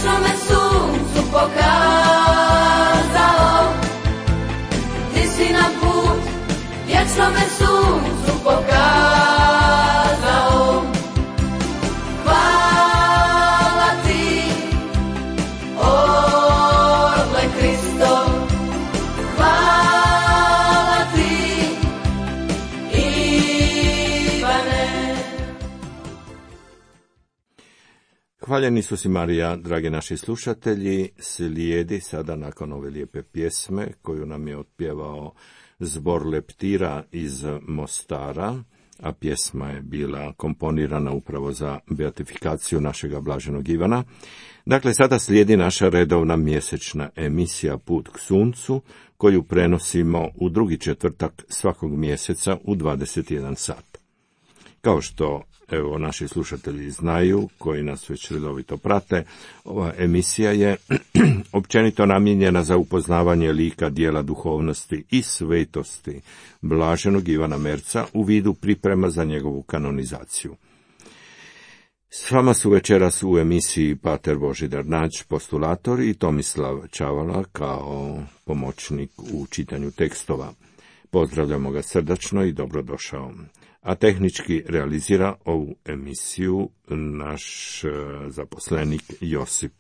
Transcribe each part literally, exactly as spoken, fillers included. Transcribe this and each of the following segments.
vječnome suncu pokazao, ti si nam put vječnome suncu pokazao. Hvala ti, orle Kristo, hvala ti, Ivane. Hvaljeni su si Marija, dragi naši slušatelji. Slijedi sada nakon ove lijepe pjesme koju nam je otpjevao zbor Leptira iz Mostara, a pjesma je bila komponirana upravo za beatifikaciju našega blaženog Ivana. Dakle, sada slijedi naša redovna mjesečna emisija Put k suncu, koju prenosimo u drugi četvrtak svakog mjeseca u dvadeset jedan sat. Kao što evo naši slušatelji znaju, koji nas već redovito prate, ova emisija je općenito namijenjena za upoznavanje lika, dijela duhovnosti i svetosti blaženog Ivana Merca u vidu priprema za njegovu kanonizaciju. S vama su večeras u emisiji pater Božidar Nađ, postulator, i Tomislav Čavala kao pomoćnik u čitanju tekstova. Pozdravljamo ga srdačno i dobrodošao. A tehnički realizira ovu emisiju naš zaposlenik Josip.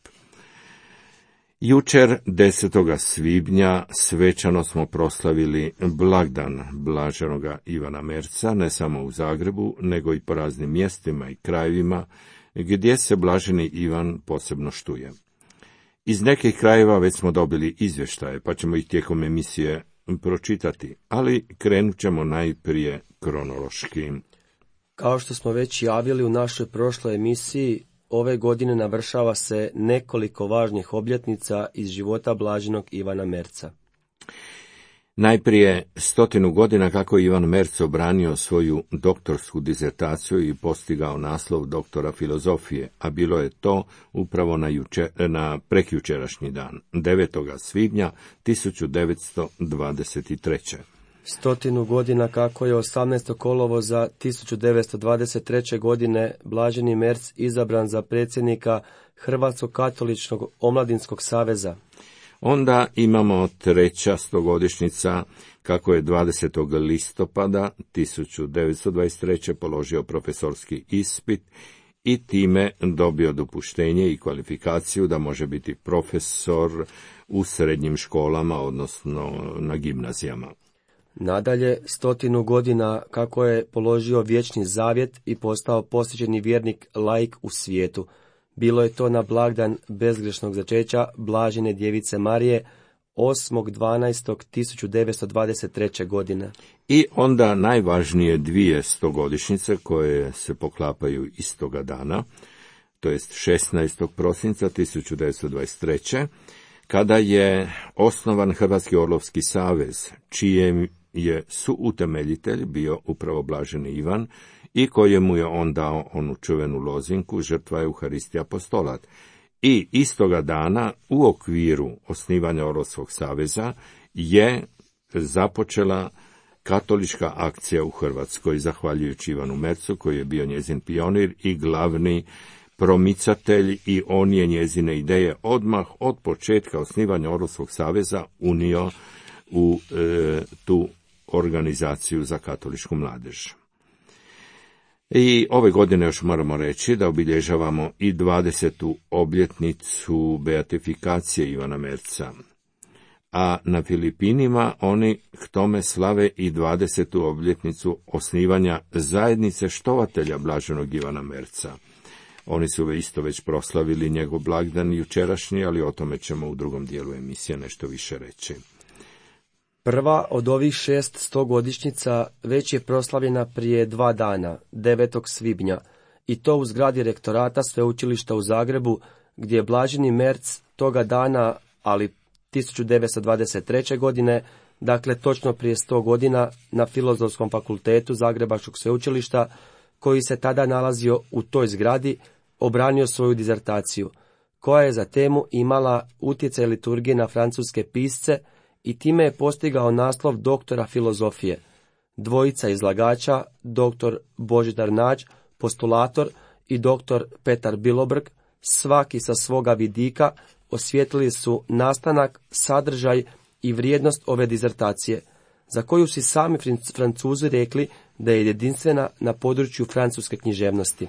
Jučer, desetog svibnja, svečano smo proslavili blagdan blaženoga Ivana Merca, ne samo u Zagrebu, nego i po raznim mjestima i krajevima gdje se blaženi Ivan posebno štuje. Iz nekih krajeva već smo dobili izvještaje, pa ćemo ih tijekom emisije pročitati, ali krenut ćemo najprije kronološki. Kao što smo već javili u našoj prošloj emisiji, ove godine navršava se nekoliko važnih obljetnica iz života blaženog Ivana Merca. Najprije stotinu godina kako Ivan Merc obranio svoju doktorsku dizertaciju i postigao naslov doktora filozofije, a bilo je to upravo na, juče, na prekjučerašnji dan, devetog svibnja tisuću devetsto dvadeset treće. Stotinu godina kako je osamnaestog kolovoza tisuću devetsto dvadeset treće. godine blaženi Merc izabran za predsjednika Hrvatskog katoličkog omladinskog saveza. Onda imamo treća stogodišnjica kako je dvadesetog listopada tisuću devetsto dvadeset treće. položio profesorski ispit i time dobio dopuštenje i kvalifikaciju da može biti profesor u srednjim školama, odnosno na gimnazijama. Nadalje, stotinu godina kako je položio vječni zavjet i postao posvećeni vjernik laik u svijetu. Bilo je to na blagdan bezgrešnog začeća blažene djevice Marije, osmog dvanaestog tisuću devetsto dvadeset treće. godine. I onda najvažnije dvije stogodišnjice koje se poklapaju istoga dana, to jest šesnaestog prosinca tisuću devetsto dvadeset treće. kada je osnovan Hrvatski orlovski savez, čijem je suutemeljitelj bio upravo blaženi Ivan i kojemu je on dao onu čuvenu lozinku žrtva Euharistija apostolat. I istoga dana u okviru osnivanja Orlovskog saveza je započela katolička akcija u Hrvatskoj, zahvaljujući Ivanu Mercu, koji je bio njezin pionir i glavni promicatelj, i on je njezine ideje odmah od početka osnivanja Orlovskog saveza unio u e, tu organizaciju za katoličku mladež. I ove godine još moramo reći da obilježavamo i dvadesetu obljetnicu beatifikacije Ivana Merca, a na Filipinima oni k tome slave i dvadesetu obljetnicu osnivanja zajednice štovatelja blaženog Ivana Merca. Oni su isto već proslavili njegov blagdan jučerašnji, ali o tome ćemo u drugom dijelu emisije nešto više reći. Prva od ovih šest stogodišnjica već je proslavljena prije dva dana, devetog svibnja, i to u zgradi rektorata sveučilišta u Zagrebu, gdje je blaženi Merc toga dana, ali tisuću devetsto dvadeset treće. godine, dakle točno prije sto godina, na Filozofskom fakultetu Zagrebačkog sveučilišta, koji se tada nalazio u toj zgradi, obranio svoju dizertaciju, koja je za temu imala utjecaj liturgije na francuske pisce i time je postigao naslov doktora filozofije. Dvojica izlagača, doktor Božidar Nađ, postulator, i doktor Petar Bilobrg, svaki sa svoga vidika, osvijetlili su nastanak, sadržaj i vrijednost ove dizertacije, za koju si sami Francuzi rekli da je jedinstvena na području francuske književnosti.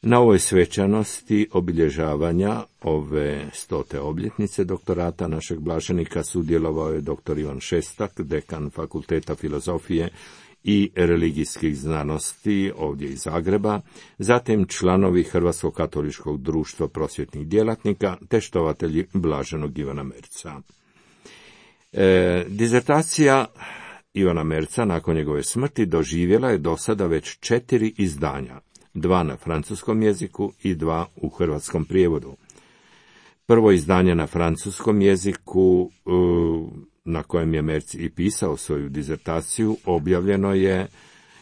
Na ovoj svečanosti obilježavanja ove stote obljetnice doktorata našeg blaženika sudjelovao je doktor Ivan Šestak, dekan Fakulteta filozofije i religijskih znanosti ovdje iz Zagreba, zatim članovi Hrvatskog katoličkog društva prosvjetnih djelatnika te štovatelji blaženog Ivana Merca. E, dizertacija Ivana Merca nakon njegove smrti doživjela je do sada već četiri izdanja, dva na francuskom jeziku i dva u hrvatskom prijevodu. Prvo izdanje na francuskom jeziku, na kojem je Merc i pisao svoju dizertaciju, objavljeno je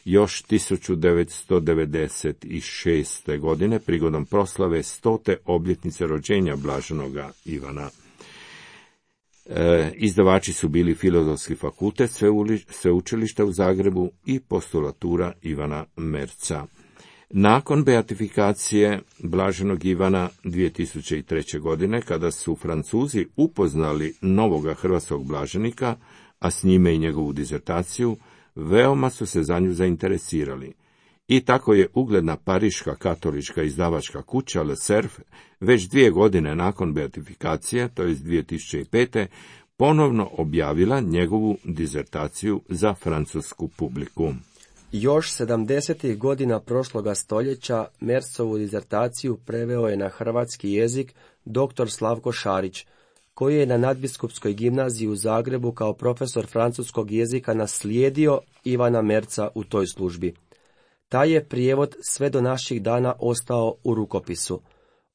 još tisuću devetsto devedeset šeste. godine prigodom proslave stote obljetnice rođenja blaženoga Ivana. E, izdavači su bili Filozofski fakultet Sveučilišta u Zagrebu i Postulatura Ivana Merca. Nakon beatifikacije blaženog Ivana dvije tisuće treće. godine, kada su Francuzi upoznali novoga hrvatskog blaženika, a s njime i njegovu dizertaciju, veoma su se za nju zainteresirali. I tako je ugledna pariška katolička izdavačka kuća Le Cerf već dvije godine nakon beatifikacije, to je dvije tisuće pete. ponovno objavila njegovu dizertaciju za francusku publiku. Još sedamdesetih godina prošloga stoljeća Mercovu dizertaciju preveo je na hrvatski jezik doktor Slavko Šarić, koji je na Nadbiskupskoj gimnaziji u Zagrebu kao profesor francuskog jezika naslijedio Ivana Merca u toj službi. Taj je prijevod sve do naših dana ostao u rukopisu.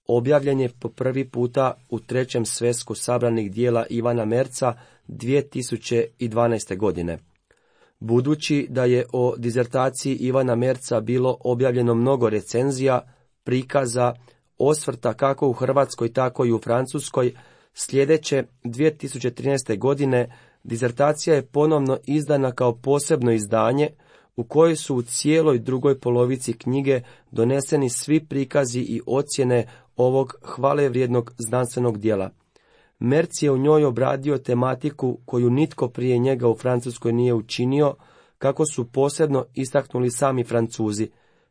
Objavljen je po prvi puta u trećem svesku sabranih dijela Ivana Merca dvije tisuće dvanaeste. godine. Budući da je o dizertaciji Ivana Merca bilo objavljeno mnogo recenzija, prikaza, osvrta kako u Hrvatskoj tako i u Francuskoj, sljedeće dvije tisuće trinaeste. godine dizertacija je ponovno izdana kao posebno izdanje u kojoj su u cijeloj drugoj polovici knjige doneseni svi prikazi i ocjene ovog hvalevrijednog znanstvenog dijela. Merc je u njoj obradio tematiku koju nitko prije njega u Francuskoj nije učinio, kako su posebno istaknuli sami Francuzi,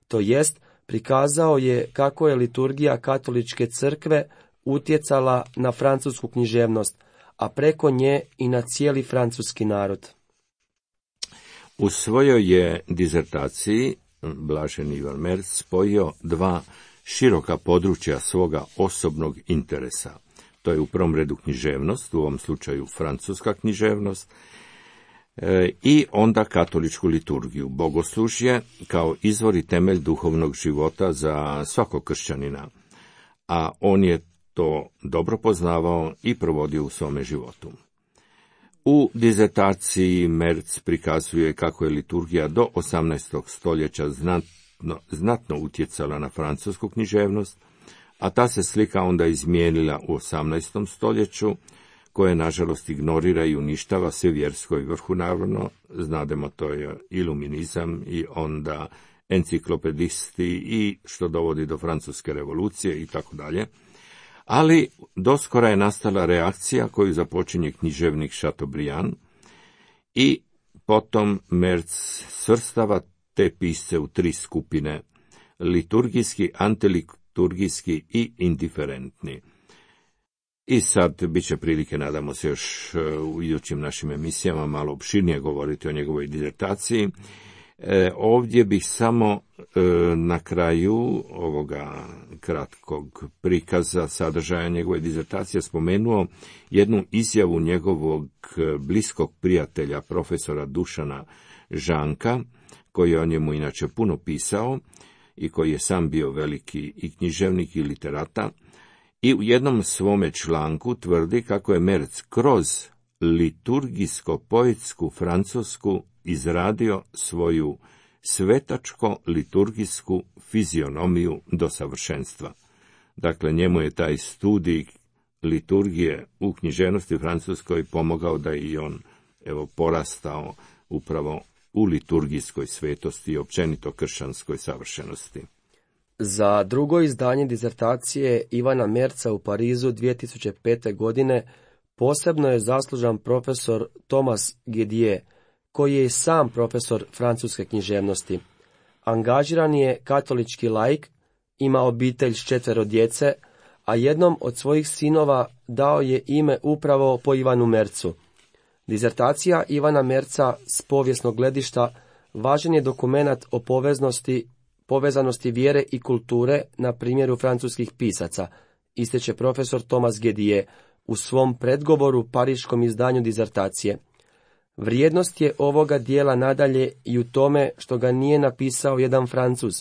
to jest prikazao je kako je liturgija katoličke crkve utjecala na francusku književnost, a preko nje i na cijeli francuski narod. U svojoj je dizertaciji blaženi Ivan Merc spojio dva široka područja svoga osobnog interesa. To je u prvom redu književnost, u ovom slučaju francuska književnost, e, i onda katoličku liturgiju, bogoslužje kao izvor i temelj duhovnog života za svakog kršćanina, a on je to dobro poznavao i provodio u svome životu. U dizertaciji Merc prikazuje kako je liturgija do osamnaestog. stoljeća znatno, znatno utjecala na francusku književnost, a ta se slika onda izmijenila u osamnaestom. stoljeću, koje nažalost ignorira i uništava sve vjersko i vrhu, naravno, znademo to je iluminizam i onda enciklopedisti i što dovodi do francuske revolucije i tako dalje. Ali doskora je nastala reakcija koju započinje književnik Chateaubriand i potom Merc svrstava te pisce u tri skupine: liturgijski, antiliturgijski i indiferentni. I sad bit će prilike, nadamo se, još u idućim našim emisijama malo opširnije govoriti o njegovoj dizertaciji. E, ovdje bih samo e, na kraju ovoga kratkog prikaza sadržaja njegove dizertacije spomenuo jednu izjavu njegovog bliskog prijatelja, profesora Dušana Žanka, koji je o njemu inače puno pisao i koji je sam bio veliki i književnik i literata, i u jednom svome članku tvrdi kako je Merc kroz liturgijsko-poetsku francusku izradio svoju svetačko-liturgijsku fizionomiju do savršenstva. Dakle, njemu je taj studij liturgije u književnosti francuskoj pomogao da i on, evo, porastao upravo u liturgijskoj svetosti i općenito kršćanskoj savršenosti. Za drugo izdanje dizertacije Ivana Merca u Parizu dvije tisuće pete. godine posebno je zaslužan profesor Thomas Gedier, koji je i sam profesor francuske književnosti. Angažiran je katolički laik, ima obitelj s četvero djece, a jednom od svojih sinova dao je ime upravo po Ivanu Mercu. Dizertacija Ivana Merca s povijesnog gledišta važan je dokumenat o poveznosti, povezanosti vjere i kulture na primjeru francuskih pisaca, ističe profesor Thomas Gedier u svom predgovoru pariškom izdanju dizertacije. Vrijednost je ovoga dijela nadalje i u tome što ga nije napisao jedan Francuz,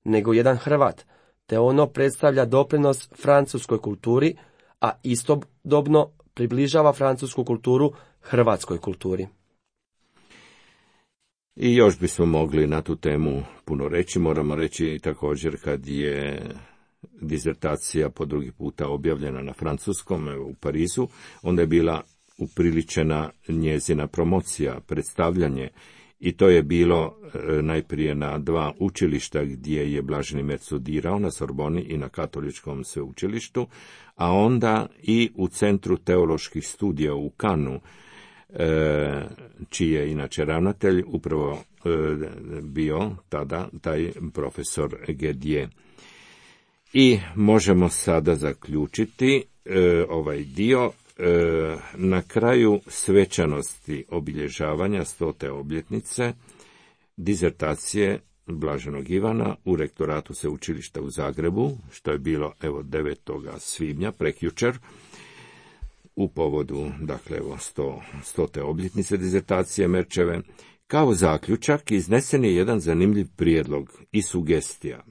nego jedan Hrvat, te ono predstavlja doprinos francuskoj kulturi, a istodobno približava francusku kulturu hrvatskoj kulturi. I još bismo mogli na tu temu puno reći. Moramo reći također kad je dizertacija po drugi puta objavljena na francuskom u Parizu, onda je bila upriličena njezina promocija, predstavljanje, i to je bilo e, najprije na dva učilišta gdje je Blaženi Merc studirao, na Sorboni i na Katoličkom sveučilištu, a onda i u Centru teoloških studija u Kanu, e, čiji je inače ravnatelj upravo e, bio tada taj profesor Gedier. I možemo sada zaključiti e, ovaj dio. Na kraju svečanosti obilježavanja stote obljetnice dizertacije Blaženog Ivana u rektoratu sveučilišta u Zagrebu, što je bilo evo devetog svibnja prekjučer, u povodu dakle evo sto, stote obljetnice dizertacije Merčeve, kao zaključak iznesen je jedan zanimljiv prijedlog i sugestija.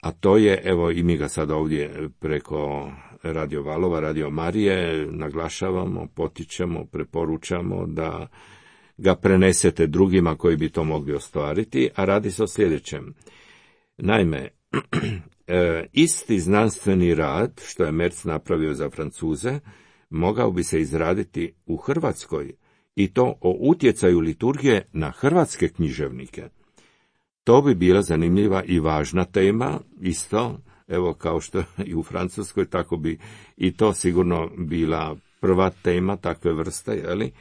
A to je, evo i mi ga sada ovdje preko Radio Valova, Radio Marije naglašavamo, potičemo, preporučamo da ga prenesete drugima koji bi to mogli ostvariti, a radi se o sljedećem. Naime, isti znanstveni rad što je Merc napravio za Francuze, mogao bi se izraditi u Hrvatskoj, i to o utjecaju liturgije na hrvatske književnike. To bi bila zanimljiva i važna tema, isto, evo kao što i u Francuskoj, tako bi i to sigurno bila prva tema takve vrste, jeli?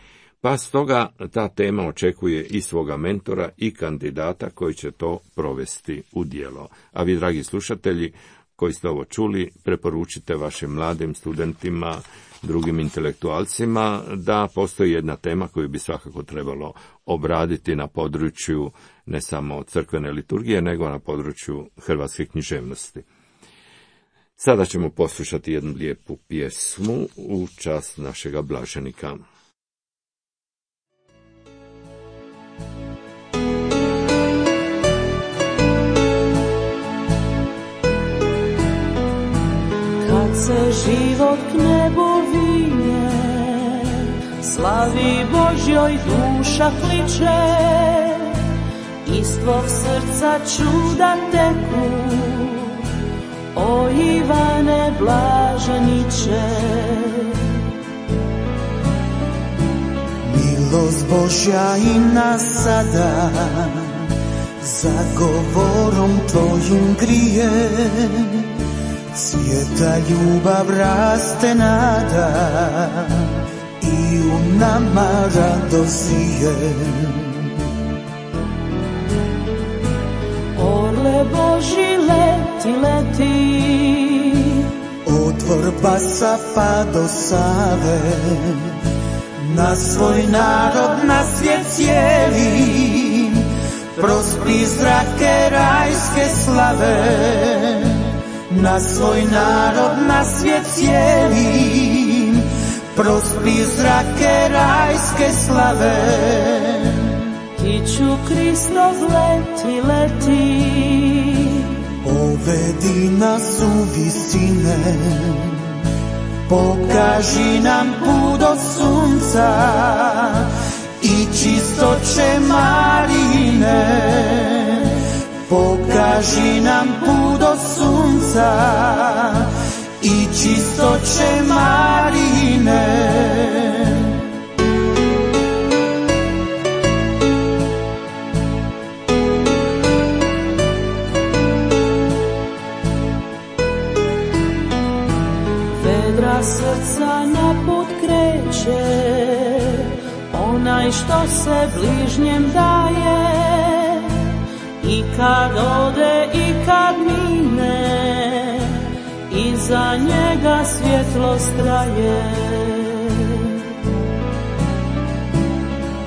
Pa stoga ta tema očekuje i svoga mentora i kandidata koji će to provesti u djelo. A vi, dragi slušatelji, koji ste ovo čuli, preporučite vašim mladim studentima, drugim intelektualcima, da postoji jedna tema koju bi svakako trebalo obraditi na području ne samo crkvene liturgije, nego na području hrvatske književnosti. Sada ćemo poslušati jednu lijepu pjesmu u čast našega blaženika. Kad se život k nebu vinje, slavi Božjoj duša kliče, iz tvog srca čuda teku, o Ivane blaženiče. Milost Božja i nas sada, za govorom tvojim grije, svijeta ljubav raste nada, i u nama radost zije. Orle Boži leti, leti, od Vrbasa pa do Save, na svoj narod, na svijet cijeli, prospi zrake rajske slave. Na svoj narod, na svijet cijeli, prospi zrake rajske slave. Kiću Kristov leti, leti, povedi nas u visine, pokaži nam put do sunca i čistoće Marine. Pokaži nam put do sunca i čistoće Marine. onaj što se bližnjem daje, i kad ode i kad mine, iza njega svjetlost traje.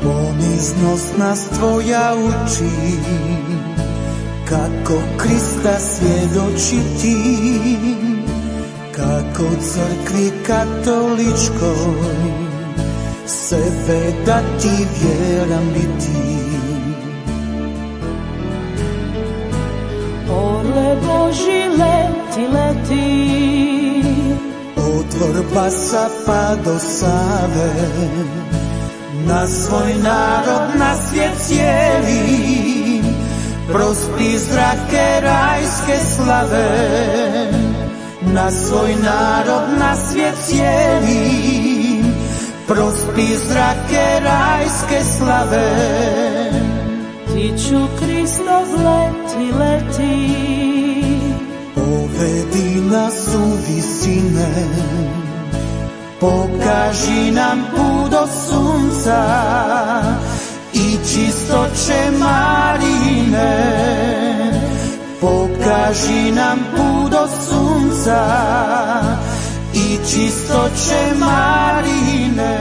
Poniznost nas tvoja uči, kako Krista svjedočiti, kako crkvi katoličkoj sebe dati vjeran biti. Orle Boži leti, leti, od Vrbasa pa do Save, na svoj narod, na svijet cijeli, prospi zrake rajske slave. Na svoj narod, na svijet cijeli, prospi zrake rajske slave. Tiću Kristov leti, leti, povedi nas u visine, pokaži nam put do sunca i čistoće Marine. Pokaži nam put do sunca i čistoće Marine.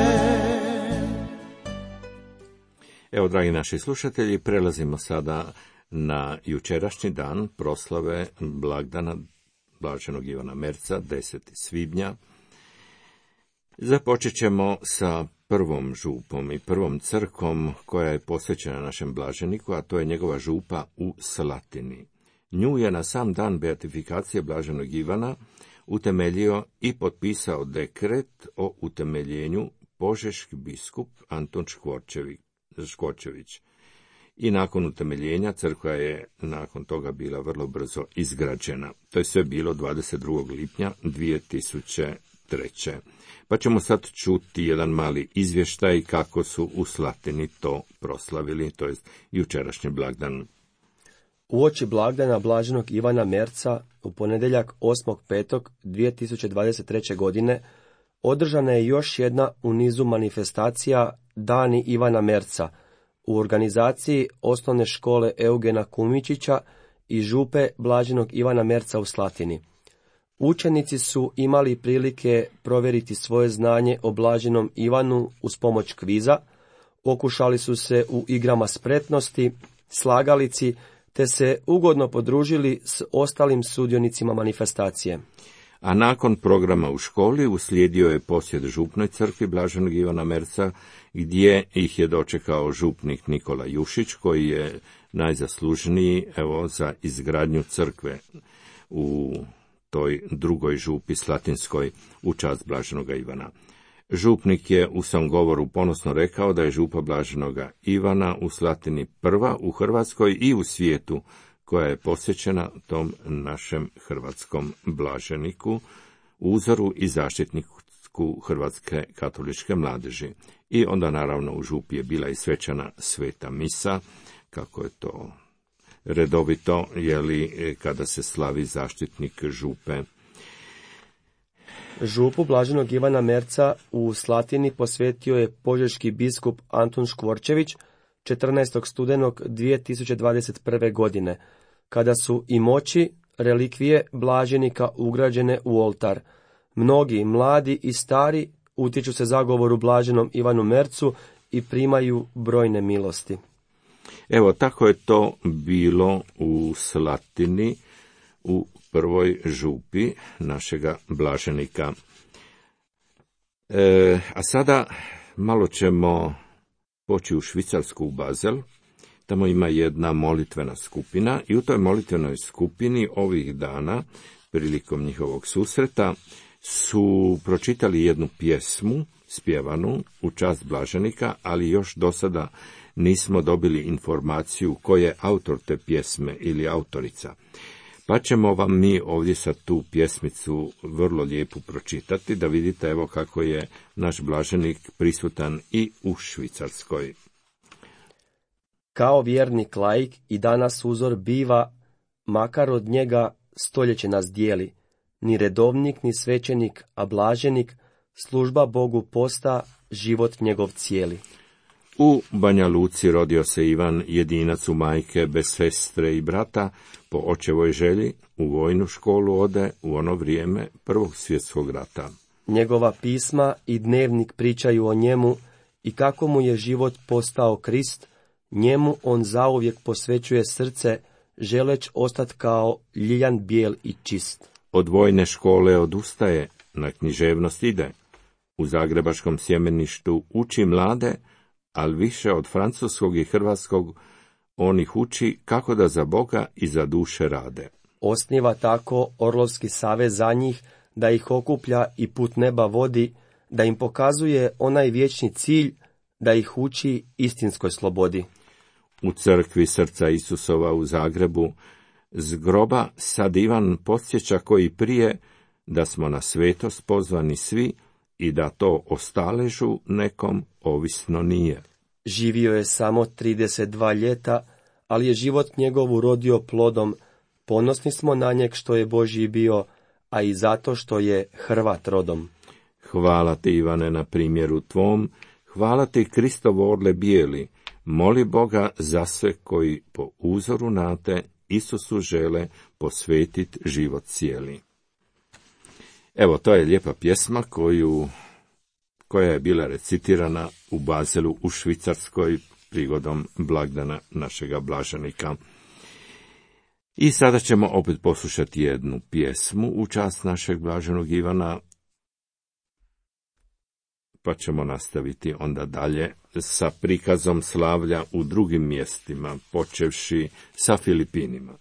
Evo, dragi naši slušatelji, prelazimo sada na jučerašnji dan proslave blagdana blaženog Ivana Merca, deseti svibnja. Započet ćemo sa prvom župom i prvom crkom koja je posvećena našem blaženiku, a to je njegova župa u Slatini. Nju je na sam dan beatifikacije blaženog Ivana utemeljio i potpisao dekret o utemeljenju požeški biskup Antun Škvorčević. I nakon utemeljenja crkva je nakon toga bila vrlo brzo izgrađena. To je sve bilo dvadeset drugog lipnja dvije tisuće treće. Pa ćemo sad čuti jedan mali izvještaj kako su u Slatini to proslavili, to jest jučerašnji blagdan. Uoči blagdana blaženog Ivana Merca u ponedjeljak osmog petog dvije tisuće dvadeset treće. godine održana je još jedna u nizu manifestacija Dani Ivana Merca u organizaciji osnovne škole Eugena Kumičića i župe blaženog Ivana Merca u Slatini. Učenici su imali prilike provjeriti svoje znanje o blaženom Ivanu uz pomoć kviza, okušali su se u igrama spretnosti, slagalici, te se ugodno podružili s ostalim sudionicima manifestacije. A nakon programa u školi uslijedio je posjet župnoj crkvi blaženog Ivana Merca, gdje ih je dočekao župnik Nikola Jušić, koji je najzaslužniji evo za izgradnju crkve u toj drugoj župi slatinskoj u čast blaženoga Ivana. Župnik je u svom govoru ponosno rekao da je župa blaženoga Ivana u Slatini prva u Hrvatskoj i u svijetu koja je posvećena tom našem hrvatskom blaženiku, uzoru i zaštitniku hrvatske katoličke mladeži. I onda naravno u župi je bila i svečana sveta misa, kako je to redovito, jeli, kada se slavi zaštitnik župe. Župu blaženog Ivana Merca u Slatini posvetio je požeški biskup Antun Škvorčević četrnaestog studenog dvije tisuće dvadeset prve. godine, kada su i moći relikvije blaženika ugrađene u oltar. Mnogi, mladi i stari, utječu se zagovoru blaženom Ivanu Mercu i primaju brojne milosti. Evo, tako je to bilo u Slatini, u prvoj župi našega blaženika. E, a sada malo ćemo poći u Švicarsku, u Bazel. Tamo ima jedna molitvena skupina i u toj molitvenoj skupini ovih dana, prilikom njihovog susreta, su pročitali jednu pjesmu, spjevanu u čast blaženika, ali još do sada nismo dobili informaciju ko je autor te pjesme ili autorica. Pa ćemo vam mi ovdje sad tu pjesmicu vrlo lijepu pročitati, da vidite evo kako je naš blaženik prisutan i u Švicarskoj. Kao vjernik laik i danas uzor biva, makar od njega stoljeće nas dijeli. Ni redovnik, ni svećenik, a blaženik, služba Bogu posta, život njegov cijeli. U Banja Luci rodio se Ivan, jedinac u majke, bez sestre i brata, po očevoj želji u vojnu školu ode u ono vrijeme Prvog svjetskog rata. Njegova pisma i dnevnik pričaju o njemu i kako mu je život postao Krist, njemu on zauvijek posvećuje srce, želeć ostati kao ljiljan bijel i čist. Od vojne škole odustaje, na književnost ide. U zagrebačkom sjemeništu uči mlade, ali više od francuskog i hrvatskog on ih uči kako da za Boga i za duše rade. Osniva tako Orlovski savez za njih, da ih okuplja i put neba vodi, da im pokazuje onaj vječni cilj, da ih uči istinskoj slobodi. U crkvi Srca Isusova u Zagrebu z groba sad Ivan podsjeća koji prije da smo na svetost pozvani svi i da to ostaležu nekom ovisno nije. Živio je samo trideset dva ljeta, ali je život njegov urodio plodom. Ponosni smo na njeg što je Božji bio, a i zato što je Hrvat rodom. Hvala ti, Ivane, na primjeru tvom, hvala ti, Kristovo orle bijeli, moli Boga za sve koji po uzoru na te Isusu žele posvetiti život cijeli. Evo, to je lijepa pjesma koju, koja je bila recitirana u Bazelu u Švicarskoj prigodom blagdana našega blaženika. I sada ćemo opet poslušati jednu pjesmu u čast našeg blaženog Ivana, pa ćemo nastaviti onda dalje sa prikazom slavlja u drugim mjestima, počevši sa Filipinima.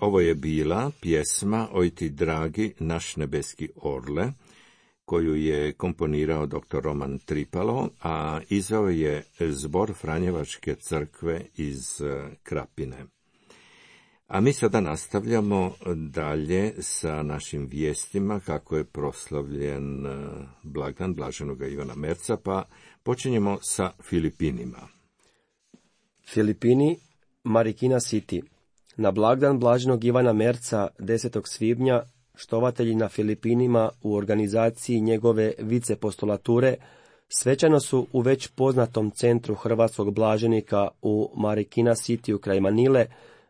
Ovo je bila pjesma Oj ti dragi naš nebeski orle, koju je komponirao doktor Roman Tripalo, a izveo je zbor Franjevačke crkve iz Krapine. A mi sada nastavljamo dalje sa našim vijestima kako je proslavljen blagdan blaženoga Ivana Merca, pa počinjemo sa Filipinima. Filipini, Marikina City. Na blagdan blaženog Ivana Merca desetog svibnja štovatelji na Filipinima u organizaciji njegove vicepostulature svečano su u već poznatom centru hrvatskog blaženika u Marikina Cityu kraj Manile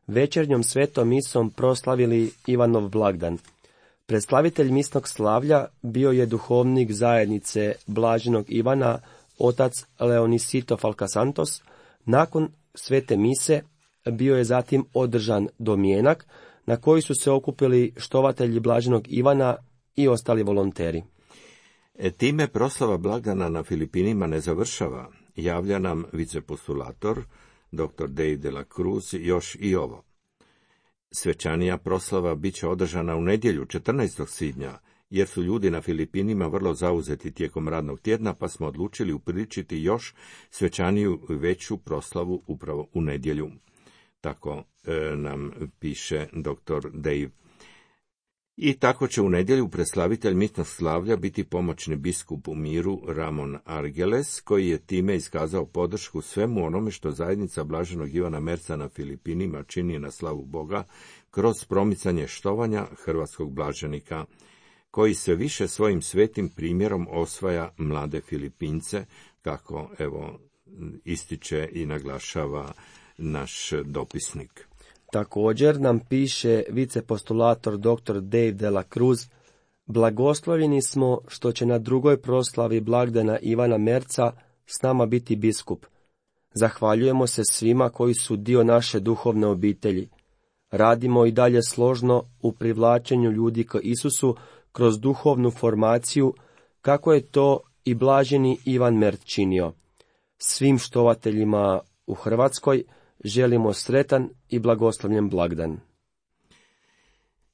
večernjom svetom misom proslavili Ivanov blagdan. Predstavitelj misnog slavlja bio je duhovnik zajednice blaženog Ivana, otac Leonisito Falcasantos. Nakon svete mise bio je zatim održan domjenak na koji su se okupili štovatelji blaženog Ivana i ostali volonteri. E, time proslava blagdana na Filipinima ne završava. Javlja nam vicepostulator, doktor Dave de la Cruz, još i ovo. Svečanija proslava bit će održana u nedjelju četrnaestog svibnja, jer su ljudi na Filipinima vrlo zauzeti tijekom radnog tjedna, pa smo odlučili upriličiti još svečaniju veću proslavu upravo u nedjelju. Tako e, nam piše doktor Dave. I tako će u nedjelju preslavitelj misnog slavlja biti pomoćni biskup u miru Ramon Argeles, koji je time iskazao podršku svemu onome što zajednica blaženog Ivana Merca na Filipinima čini na slavu Boga kroz promicanje štovanja hrvatskog blaženika, koji se više svojim svetim primjerom osvaja mlade Filipince, kako evo ističe i naglašava naš dopisnik. Također nam piše vicepostulator doktor Dave de la Cruz: blagoslovljeni smo što će na drugoj proslavi blagdana Ivana Merca s nama biti biskup. Zahvaljujemo se svima koji su dio naše duhovne obitelji. Radimo i dalje složno u privlačenju ljudi k Isusu kroz duhovnu formaciju, kako je to i blaženi Ivan Merc činio. Svim štovateljima u Hrvatskoj želimo sretan i blagoslovljen blagdan.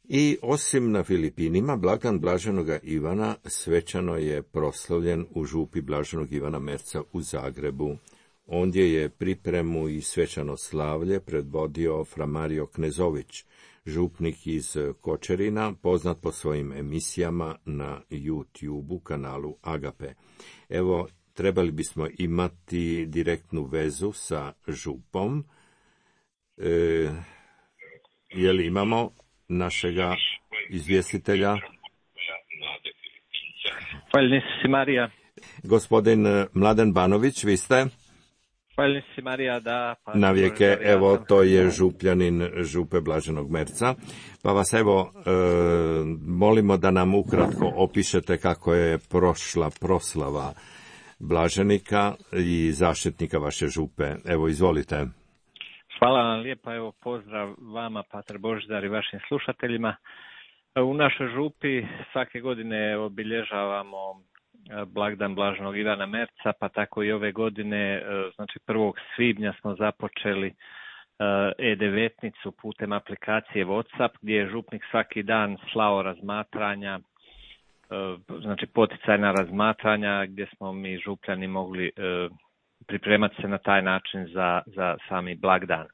I osim na Filipinima, blagdan blaženoga Ivana svečano je proslavljen u župi blaženog Ivana Merca u Zagrebu. Ondje je pripremu i svečano slavlje predvodio fra Mario Knezović, župnik iz Kočerina, poznat po svojim emisijama na YouTube kanalu Agape. Evo, trebali bismo imati direktnu vezu sa župom. E, je li imamo našega izvjestitelja? Hvaljeni si Marija. Gospodin Mladen Banović, vi ste? Hvaljeni si Marija, da. Pa na vijeke, evo, to je župljanin župe blaženog Merca. Pa vas evo, e, molimo da nam ukratko opišete kako je prošla proslava blaženika i zaštitnika vaše župe. Evo, izvolite. Hvala vam lijepa, evo pozdrav vama, Pater Božidar, i vašim slušateljima. U našoj župi svake godine obilježavamo blagdan blaženog Ivana Merca, pa tako i ove godine, znači prvog svibnja smo započeli e devetnicu putem aplikacije WhatsApp, gdje je župnik svaki dan slao razmatranja, znači poticajna razmatranja, gdje smo mi župljani mogli pripremati se na taj način za, za sami blagdan.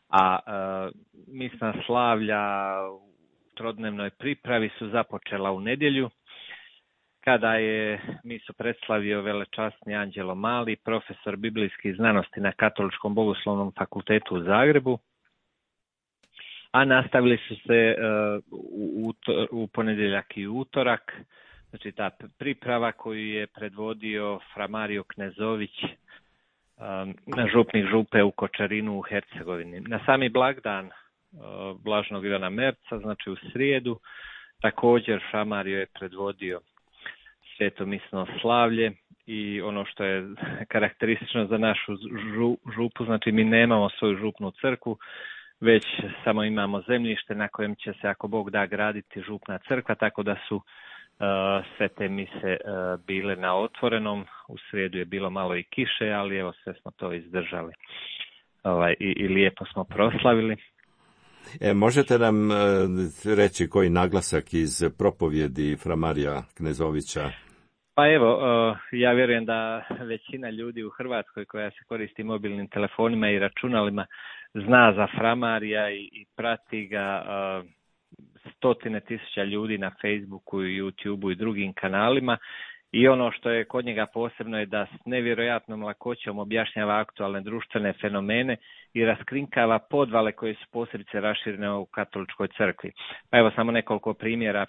A e, misna slavlja u trodnevnoj pripravi su započela u nedjelju, kada je misu predstavio velečasni Anđelo Mali, profesor biblijskih znanosti na Katoličkom bogoslovnom fakultetu u Zagrebu, a nastavili su se uh, u, u ponedjeljak i utorak, znači ta priprava koju je predvodio fra Mario Knezović, um, župnik župe u Kočarinu u Hercegovini. Na sami blagdan uh, blaženog Ivana Merca, znači u srijedu, također fra Mario je predvodio sveto misno slavlje i ono što je karakteristično za našu žu, župu, znači mi nemamo svoju župnu crkvu, već samo imamo zemljište na kojem će se, ako Bog da, graditi župna crkva, tako da su uh, sve te mise uh, bile na otvorenom. U srijedu je bilo malo i kiše, ali evo sve smo to izdržali ovaj, i, i lijepo smo proslavili. E, možete nam uh, reći koji naglasak iz propovjedi fra Marija Knezovića? Pa evo, uh, ja vjerujem da većina ljudi u Hrvatskoj koja se koristi mobilnim telefonima i računalima zna za fra Marija i, i prati ga. Uh, stotine tisuća ljudi na Facebooku i YouTubeu i drugim kanalima I ono što je kod njega posebno je da s nevjerojatnom lakoćom objašnjava aktualne društvene fenomene i raskrinkava podvale koje su posebice raširene u katoličkoj crkvi. Pa evo samo nekoliko primjera.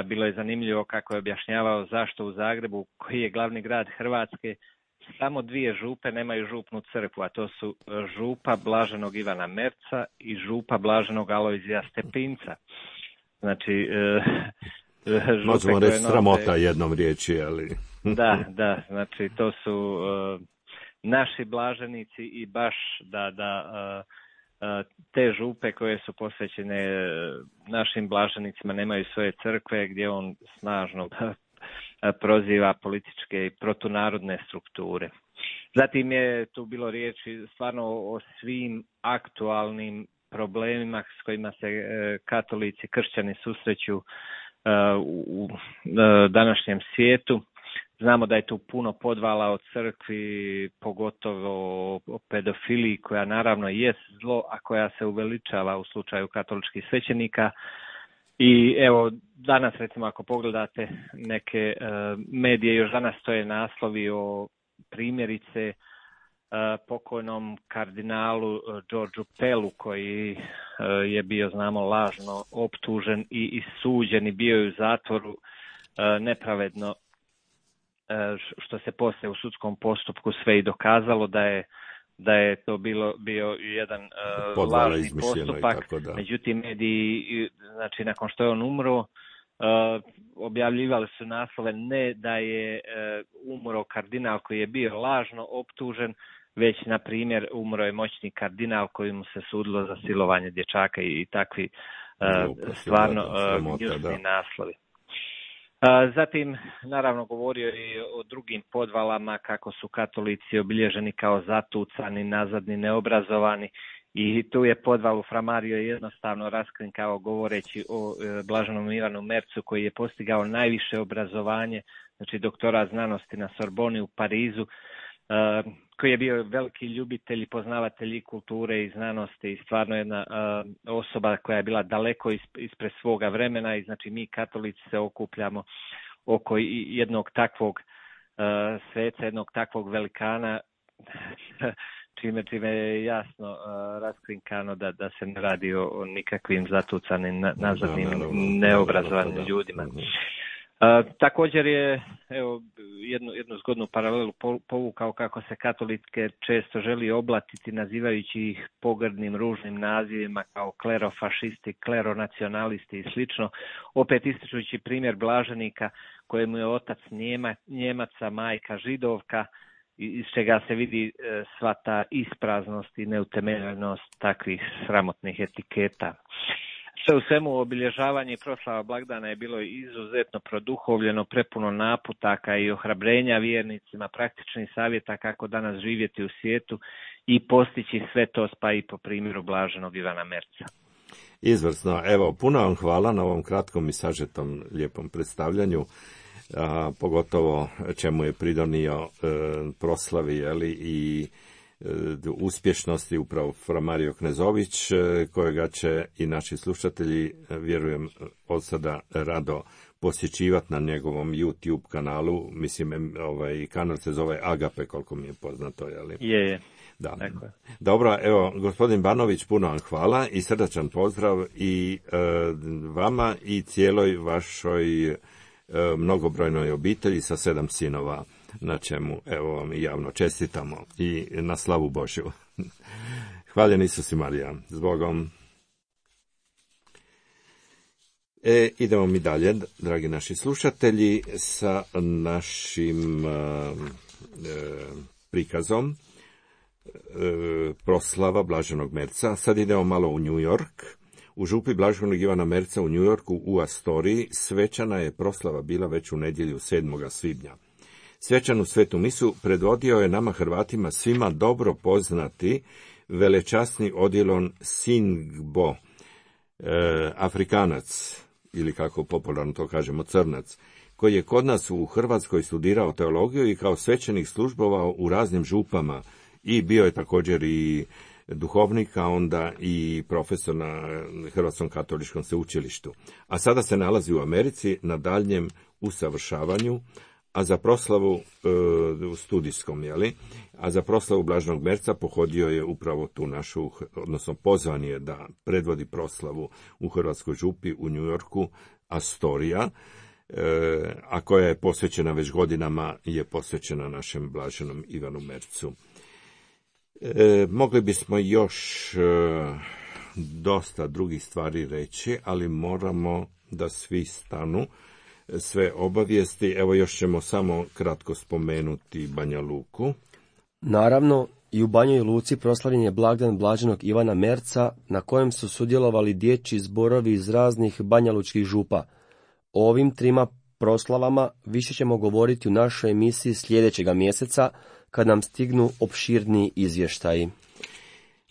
Bilo je zanimljivo kako je objašnjavao zašto u Zagrebu, koji je glavni grad Hrvatske, samo dvije župe nemaju župnu crkvu, a to su župa blaženog Ivana Merca i župa blaženog Alojzija Stepinca. Znači, župe možemo reći nose... sramota jednom riječi, ali... Da, da, znači to su uh, naši blaženici i baš da, da uh, uh, te župe koje su posvećene uh, našim blaženicima nemaju svoje crkve, gdje on snažno proziva političke i protunarodne strukture. Zatim je tu bilo riječi stvarno o svim aktualnim problemima s kojima se uh, katolici, kršćani susreću uh, u, u uh, današnjem svijetu. Znamo da je tu puno podvala o crkvi, pogotovo o pedofiliji, koja naravno jest zlo, a koja se uveličava u slučaju katoličkih svećenika. I evo, danas recimo ako pogledate neke uh, medije, još danas stoje naslovi o primjerice uh, pokojnom kardinalu uh, Georgeu Pellu, koji uh, je bio, znamo, lažno optužen i, i suđen i bio je u zatvoru uh, nepravedno, što se poslije u sudskom postupku sve i dokazalo da je da je to bilo bio jedan uh, lažni postupak. Međutim, mediji, znači nakon što je on umro, uh, objavljivali su naslove ne da je uh, umro kardinal koji je bio lažno optužen, već na primjer umro je moćni kardinal kojemu se sudilo za silovanje dječaka i, i takvi uh, stvarno uh, gnjusni naslovi. Zatim, naravno, govorio je o drugim podvalama, kako su katolici obilježeni kao zatucani, nazadni, neobrazovani, i tu je podval u Framario jednostavno raskrinkao govoreći o blaženom Ivanu Mercu, koji je postigao najviše obrazovanje, znači doktorat znanosti na Sorboni u Parizu, koji je bio veliki ljubitelj i poznavatelj i kulture i znanosti i stvarno jedna uh, osoba koja je bila daleko ispred svoga vremena, i znači mi katolici se okupljamo oko jednog takvog uh, sveca, jednog takvog velikana, čime, čime je jasno uh, raskrinkano da, da se ne radi o, o nikakvim zatucanim, nazadnim, neobrazovanim ljudima. Uh, također je, evo, jednu, jednu zgodnu paralelu povukao kako se katolike često želi oblatiti nazivajući ih pogrdnim, ružnim nazivima kao klerofašisti, kleronacionalisti i slično, opet ističujući primjer blaženika kojemu je otac Njema, Njemaca, majka Židovka, iz čega se vidi e, sva ta ispraznost i neutemeljenost takvih sramotnih etiketa. Sve u svemu, obilježavanje i proslava blagdana je bilo izuzetno produhovljeno, prepuno naputaka i ohrabrenja vjernicima, praktičnih savjeta kako danas živjeti u svijetu i postići sve to, pa i po primjeru blaženog Ivana Merca. Izvrsno. Evo, puno vam hvala na ovom kratkom i sažetom lijepom predstavljanju, a, pogotovo čemu je pridonio e, proslavi, jeli, i uspješnosti upravo Fra Mario Knezović, kojega će i naši slušatelji, vjerujem, od sada rado posjećivati na njegovom YouTube kanalu. Mislim, ovaj kanal se zove Agape, koliko mi je poznato, je li? Je, je. Da. Dakle. Dobro, evo, gospodin Banović, puno vam hvala i srdačan pozdrav i e, vama i cijeloj vašoj e, mnogobrojnoj obitelji sa sedam sinova, na čemu, evo, vam i javno čestitamo i na slavu Božju. Hvaljen Isus i Marija. Zbogom. E, idemo mi dalje, dragi naši slušatelji, sa našim e, prikazom e, proslava Blaženog Merca. Sad idemo malo u New York. U župi Blaženog Ivana Merca u New Yorku u Astoriji svečana je proslava bila već u nedjelju sedmog svibnja. Svečanu svetu misu predvodio je nama Hrvatima svima dobro poznati velečasni odjelon Singbo, e, Afrikanac, ili kako popularno to kažemo, Crnac, koji je kod nas u Hrvatskoj studirao teologiju i kao svećenik službovao u raznim župama i bio je također i duhovnik, a onda i profesor na Hrvatskom katoličkom sveučilištu. A sada se nalazi u Americi na daljnjem usavršavanju, a za proslavu e, u studijskom, jeli, a za proslavu Blaženog Merca pohodio je upravo tu našu, odnosno pozvan je da predvodi proslavu u Hrvatskoj župi u New Yorku Astorija, e, a koja je posvećena već godinama, je posvećena našem Blaženom Ivanu Mercu. E, mogli bismo još e, dosta drugih stvari reći, ali moramo da svi stanu, sve obavijesti. Evo još ćemo samo kratko spomenuti Banja Luku. Naravno, i u Banjoj Luci proslavljen je blagdan Blaženog Ivana Merca, na kojem su sudjelovali dječji zborovi iz raznih banjalučkih župa. O ovim trima proslavama više ćemo govoriti u našoj emisiji sljedećega mjeseca, kad nam stignu opširniji izvještaji.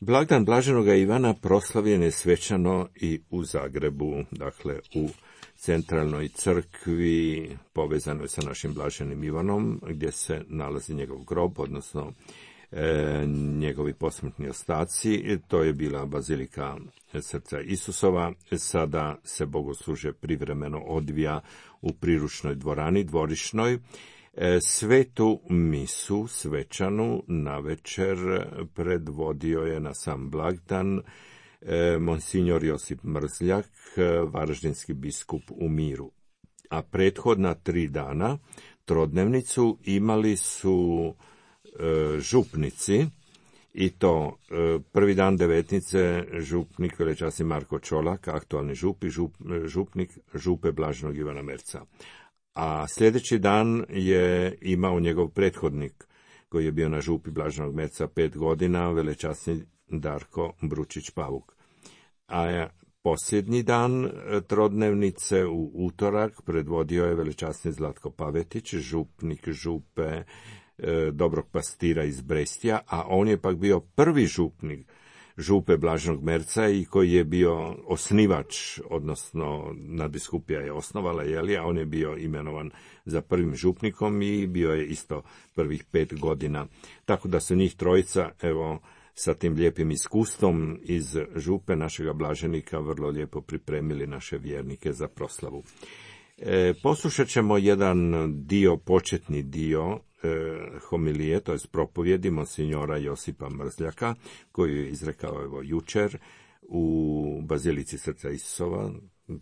Blagdan Blaženoga Ivana proslavljen je svečano i u Zagrebu, dakle u centralnoj crkvi povezanoj sa našim Blaženim Ivanom, gdje se nalazi njegov grob, odnosno e, njegovi posmrtni ostaci. To je bila bazilika Srca Isusova. Sada se bogoslužje privremeno odvija u priručnoj dvorani, dvorišnoj. E, svetu misu svečanu navečer predvodio je na sam blagdan e, monsignor Josip Mrzljak, varaždinski biskup u Miru. A prethodna tri dana trodnevnicu imali su e, župnici, i to e, prvi dan devetnice župnik velečasni Marko Čolak, aktualni žup i žup, župnik župe Blaženog Ivana Merca. A sljedeći dan je imao njegov prethodnik, koji je bio na župi Blaženog Merca pet godina, velečasni Darko Bručić-Pavuk. A posljednji dan trodnevnice u utorak predvodio je velečasni Zlatko Pavetić, župnik župe e, Dobrog Pastira iz Brestija, a on je pak bio prvi župnik župe Blaženog Merca i koji je bio osnivač, odnosno nadbiskupija je osnovala, jeli, a on je bio imenovan za prvim župnikom i bio je isto prvih pet godina. Tako da su njih trojica, evo, sa tim lijepim iskustvom iz župe našega blaženika vrlo lijepo pripremili naše vjernike za proslavu. E, poslušat ćemo jedan dio, početni dio e, homilije, to je propovjedi monsignora Josipa Mrzljaka, koju je izrekao evo jučer u Bazilici Srca Isusova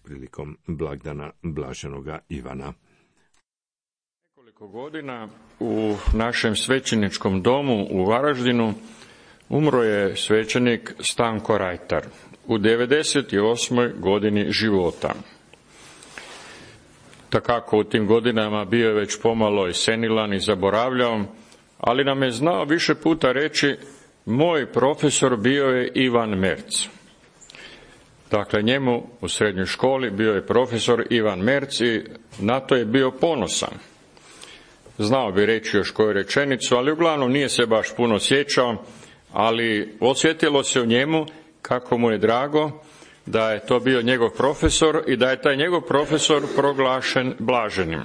prilikom blagdana Blaženoga Ivana. Nekoliko godina u našem svećeničkom domu u Varaždinu umro je svećenik Stanko Rajtar u devedeset osmoj godini života. Takako u tim godinama bio je već pomalo i senilan i zaboravljao, ali nam je znao više puta reći: moj profesor bio je Ivan Merc. Dakle, njemu u srednjoj školi bio je profesor Ivan Merc i na to je bio ponosan. Znao bi reći još koju rečenicu, ali uglavnom nije se baš puno sjećao, ali osjetilo se u njemu kako mu je drago da je to bio njegov profesor i da je taj njegov profesor proglašen blaženim.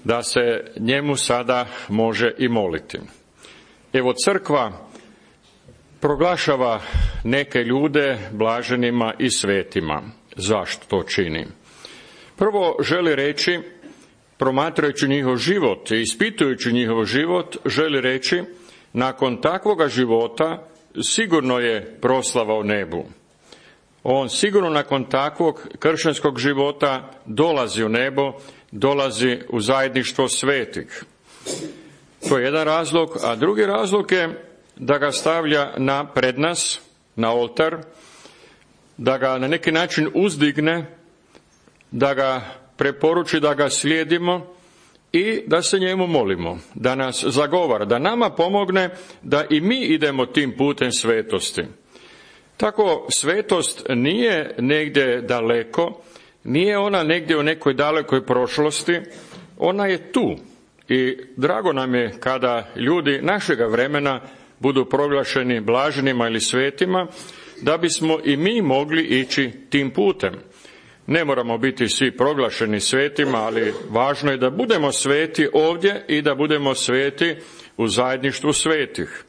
Da se njemu sada može i moliti. Evo, crkva proglašava neke ljude blaženima i svetima. Zašto to čini? Prvo želi reći, promatrajući njihov život i ispitujući njihov život, želi reći: nakon takvoga života sigurno je proslava u nebu. On sigurno nakon takvog kršćanskog života dolazi u nebo, dolazi u zajedništvo svetih. To je jedan razlog, a drugi razlog je da ga stavlja na pred nas, na oltar, da ga na neki način uzdigne, da ga preporuči da ga slijedimo i da se njemu molimo, da nas zagovara, da nama pomogne da i mi idemo tim putem svetosti. Tako svetost nije negdje daleko, nije ona negdje u nekoj dalekoj prošlosti, ona je tu. I drago nam je kada ljudi našega vremena budu proglašeni blaženima ili svetima, da bismo i mi mogli ići tim putem. Ne moramo biti svi proglašeni svetima, ali važno je da budemo sveti ovdje i da budemo sveti u zajedništvu svetih.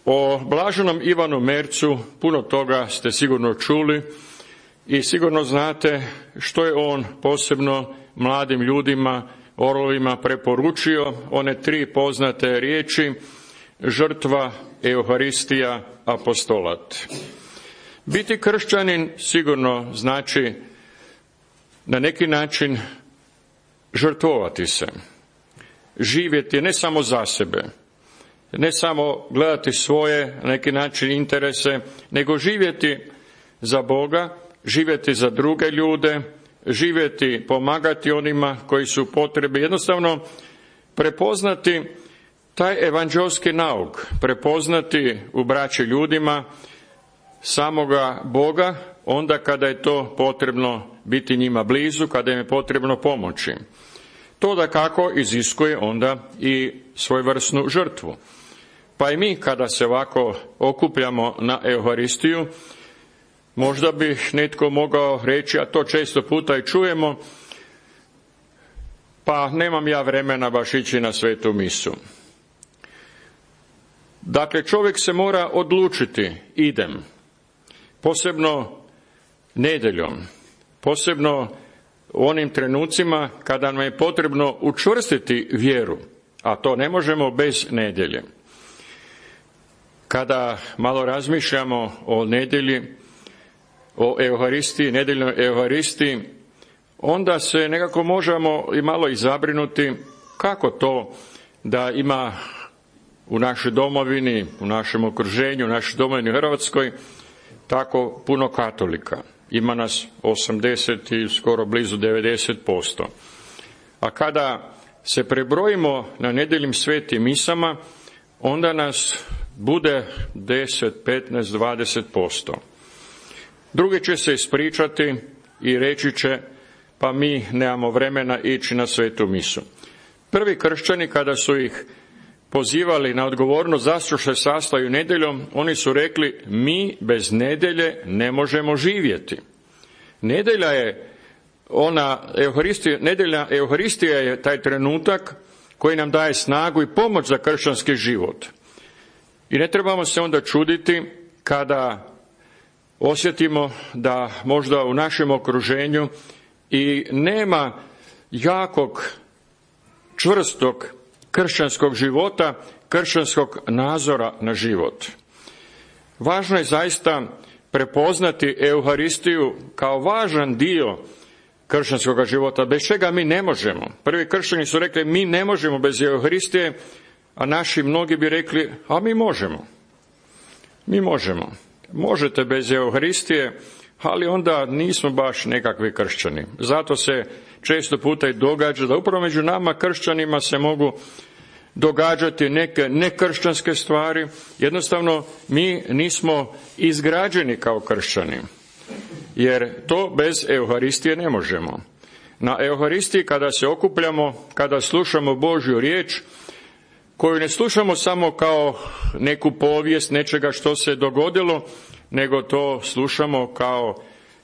O blaženom Ivanu Mercu puno toga ste sigurno čuli i sigurno znate što je on posebno mladim ljudima, orlovima preporučio one tri poznate riječi: žrtva, euharistija, apostolat. Biti kršćanin sigurno znači na neki način žrtvovati se, živjeti ne samo za sebe, ne samo gledati svoje na neki način interese, nego živjeti za Boga, živjeti za druge ljude, živjeti, pomagati onima koji su u potrebi, jednostavno prepoznati taj evanđelski nauk, prepoznati u braći ljudima samoga Boga onda kada je to potrebno biti njima blizu, kada im je potrebno pomoći. To dakako iziskuje onda i svojevrsnu žrtvu. Pa i mi kada se ovako okupljamo na Euharistiju, možda bi netko mogao reći, a to često puta i čujemo, pa nemam ja vremena baš ići na svetu misu. Dakle, čovjek se mora odlučiti, idem, posebno nedjeljom, posebno u onim trenucima kada nam je potrebno učvrstiti vjeru, a to ne možemo bez nedjelje. Kada malo razmišljamo o nedjelji, o Euharistiji, nedjeljnoj Euharistiji, onda se nekako možemo i malo i zabrinuti kako to da ima u našoj domovini, u našem okruženju, u našoj domovini Hrvatskoj tako puno katolika. Ima nas osamdeset i skoro blizu devedeset posto. A kada se prebrojimo na nedjeljnim svetim misama, onda nas bude deset, petnaest, dvadeset posto. Drugi će se ispričati i reći će, pa mi nemamo vremena ići na svetu misu. Prvi kršćani, kada su ih pozivali na odgovornost zašto se sastaju nedjeljom, oni su rekli, mi bez nedjelje ne možemo živjeti. Nedjelja je ona, Euharistija, nedjeljna Euharistija je taj trenutak koji nam daje snagu i pomoć za kršćanski život. I ne trebamo se onda čuditi kada osjetimo da možda u našem okruženju i nema jakog, čvrstog kršćanskog života, kršćanskog nazora na život. Važno je zaista prepoznati Euharistiju kao važan dio kršćanskog života, bez čega mi ne možemo. Prvi kršćani su rekli, mi ne možemo bez Euharistije, a naši mnogi bi rekli, a mi možemo. Mi možemo. Možete bez Euharistije, ali onda nismo baš nekakvi kršćani. Zato se često puta i događa da upravo među nama kršćanima se mogu događati neke nekršćanske stvari. Jednostavno mi nismo izgrađeni kao kršćani, jer to bez Euharistije ne možemo. Na Euharistiji kada se okupljamo, kada slušamo Božju riječ, koju ne slušamo samo kao neku povijest nečega što se dogodilo, nego to slušamo kao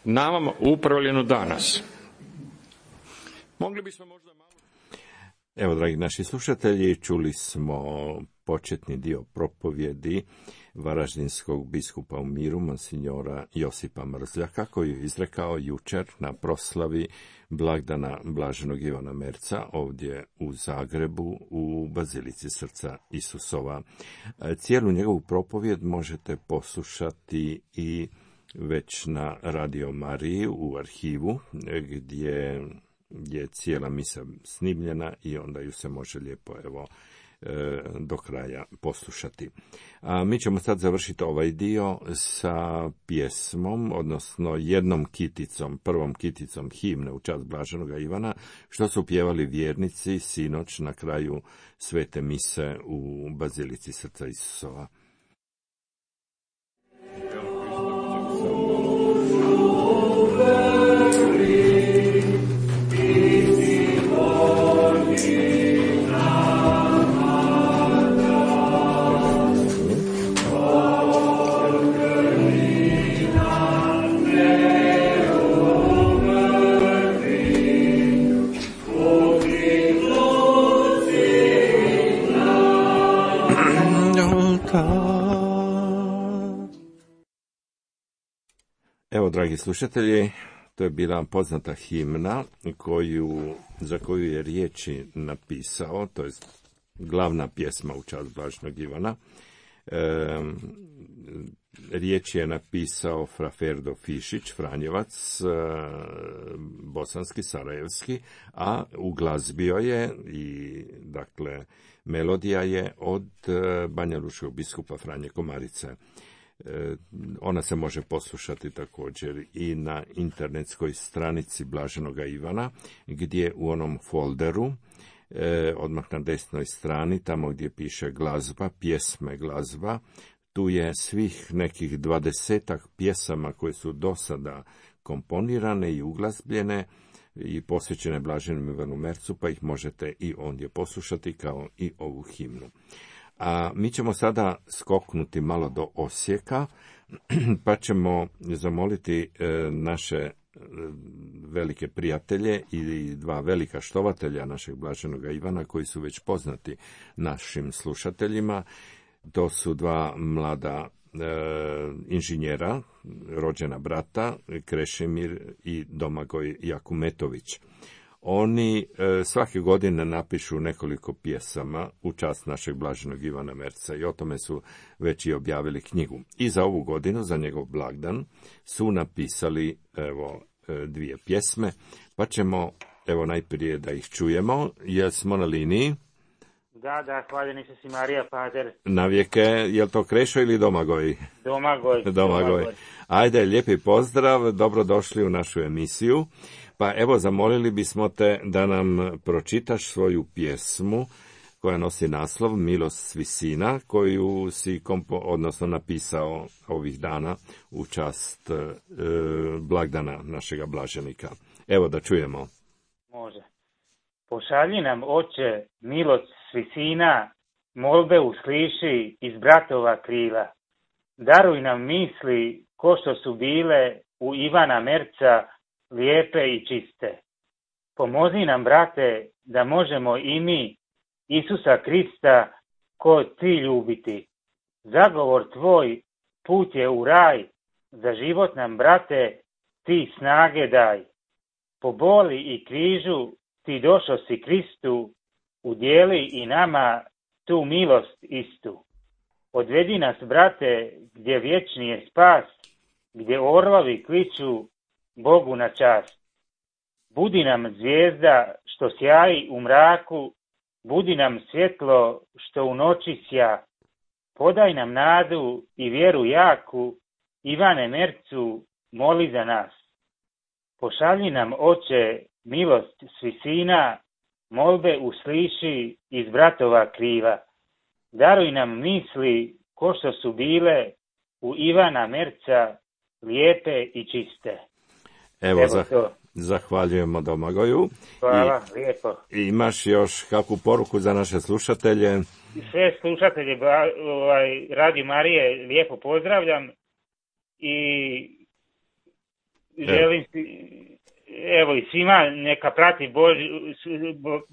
nama upravljeno danas. Mogli bismo možda malo... Evo, dragi naši slušatelji, čuli smo početni dio propovjedi varaždinskog biskupa u miru, monsignora Josipa Mrzljaka, koji je izrekao jučer na proslavi blagdana Blaženog Ivana Merca ovdje u Zagrebu u Bazilici Srca Isusova. Cijelu njegovu propovjed možete poslušati i već na Radio Mariji u arhivu, gdje je cijela misa snimljena i onda ju se može lijepo evo do kraja poslušati. A mi ćemo sad završiti ovaj dio sa pjesmom, odnosno jednom kiticom, prvom kiticom himne u čast Blaženoga Ivana, što su pjevali vjernici sinoć na kraju svete mise u Bazilici Srca Isusova. Evo, dragi slušatelji, To je bila poznata himna koju, za koju je riječi napisao, to je glavna pjesma u čast Blaženog Ivana. E, riječ je napisao fra Ferdo Fišić, Franjevac, e, bosanski, sarajevski, a uglazbio je i, dakle, melodija je od e, Banja Lučkog biskupa Franje Komarice. E, ona se može poslušati također i na internetskoj stranici Blaženoga Ivana, gdje u onom folderu, E, odmah na desnoj strani, tamo gdje piše glazba, pjesme glazba, tu je svih nekih dvadesetak pjesama koje su do sada komponirane i uglazbljene i posvećene Blaženom Ivanu Mercu, pa ih možete i ondje poslušati kao i ovu himnu. A mi ćemo sada skoknuti malo do Osijeka, pa ćemo zamoliti e, naše velike prijatelje i dva velika štovatelja našeg Blaženoga Ivana koji su već poznati našim slušateljima. To su dva mlada e, inženjera, rođena brata, Krešimir i Domagoj Jakumetović. Oni e, svake godine napišu nekoliko pjesama u čast našeg Blaženog Ivana Merca i o tome su već i objavili knjigu. I za ovu godinu, za njegov blagdan, su napisali evo dvije pjesme, pa ćemo evo najprije da ih čujemo. Jesmo na liniji? Da, da, hvaljeni se si Marija Pater. Navijeke, je li to Krešo ili Domagoj? Domagoj. Domagoj. Domagoj. Ajde, lijepi pozdrav, dobrodošli u našu emisiju. Pa evo, zamolili bismo te da nam pročitaš svoju pjesmu koja nosi naslov Milost s visina, koju si kompo, odnosno napisao ovih dana u čast e, blagdana našega blaženika. Evo da čujemo. Može. Pošalji nam, Oče, milost s visina, molbe usliši iz bratova krila. Daruj nam misli ko što su bile u Ivana Merca, lijepe i čiste. Pomozi nam, brate, da možemo i mi Isusa Krista ko ti ljubiti. Zagovor tvoj put je u raj, za život nam, brate, ti snage daj. Po boli i križu ti došao si Kristu, udjeli i nama tu milost istu. Odvedi nas, brate, gdje vječni je spas, gdje orlovi kliču Bogu na čast. Budi nam zvijezda što sjaji u mraku, budi nam svjetlo što u noći sja. Podaj nam nadu i vjeru jaku, Ivane Mercu, moli za nas. Pošalji nam, Oče, milost s visina, molbe usliši iz bratova kriva. Daruj nam misli ko što su bile u Ivana Merca, lijepe i čiste. Evo, Evo zah- zahvaljujemo Domagoju. Hvala, I, lijepo. I imaš još kakvu poruku za naše slušatelje? Sve slušatelje ovaj, Radio Marije lijepo pozdravljam i želim si, evo i svima neka prati Boži,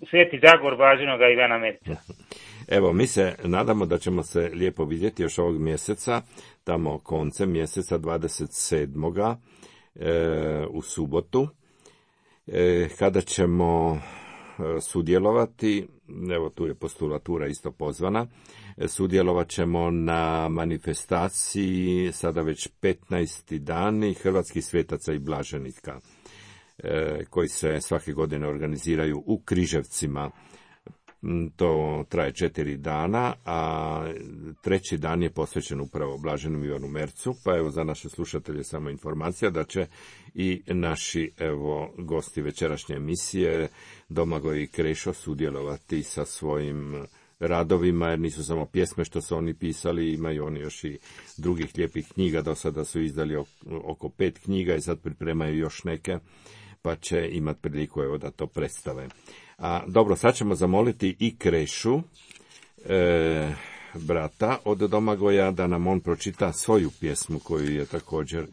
Sveti Zagor Blaženoga Ivana Merca. Evo, mi se nadamo da ćemo se lijepo vidjeti još ovog mjeseca, tamo koncem mjeseca dvadeset sedmoga E, u subotu, e, kada ćemo e, sudjelovati, evo tu je postulatura isto pozvana, e, sudjelovat ćemo na manifestaciji sada već petnaesti dani Hrvatskih svetaca i blaženika, e, koji se svake godine organiziraju u Križevcima. To traje četiri dana, a treći dan je posvećen upravo Blaženom Ivanu Mercu, pa evo za naše slušatelje samo informacija da će i naši evo gosti večerašnje emisije Domagoj i Krešo sudjelovati sa svojim radovima, jer nisu samo pjesme što su oni pisali, imaju oni još i drugih lijepih knjiga, do sada su izdali oko pet knjiga i sad pripremaju još neke, pa će imati priliku evo da to predstave. A, dobro, sad ćemo zamoliti i Krešu, e, brata od Domagoja, da nam on pročita svoju pjesmu koju je također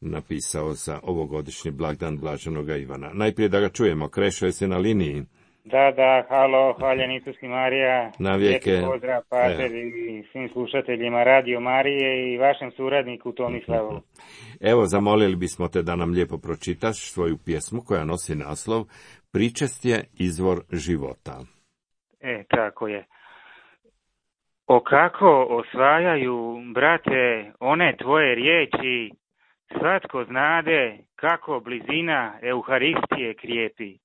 napisao za ovogodišnji blagdan Blaženoga Ivana. Najprije da ga čujemo. Krešo, jesi na liniji? Da, da, halo, hvaljen Isus i Marija. Na vijeke. Lijepi pozdrav, pater, i svim slušateljima Radio Marije i vašem suradniku Tomislavu. Evo, zamolili bismo te da nam lijepo pročitaš svoju pjesmu koja nosi naslov Pričest je izvor života. E, tako je. O kako osvajaju, brate, one tvoje riječi, svatko znade kako blizina Euharistije krijepi.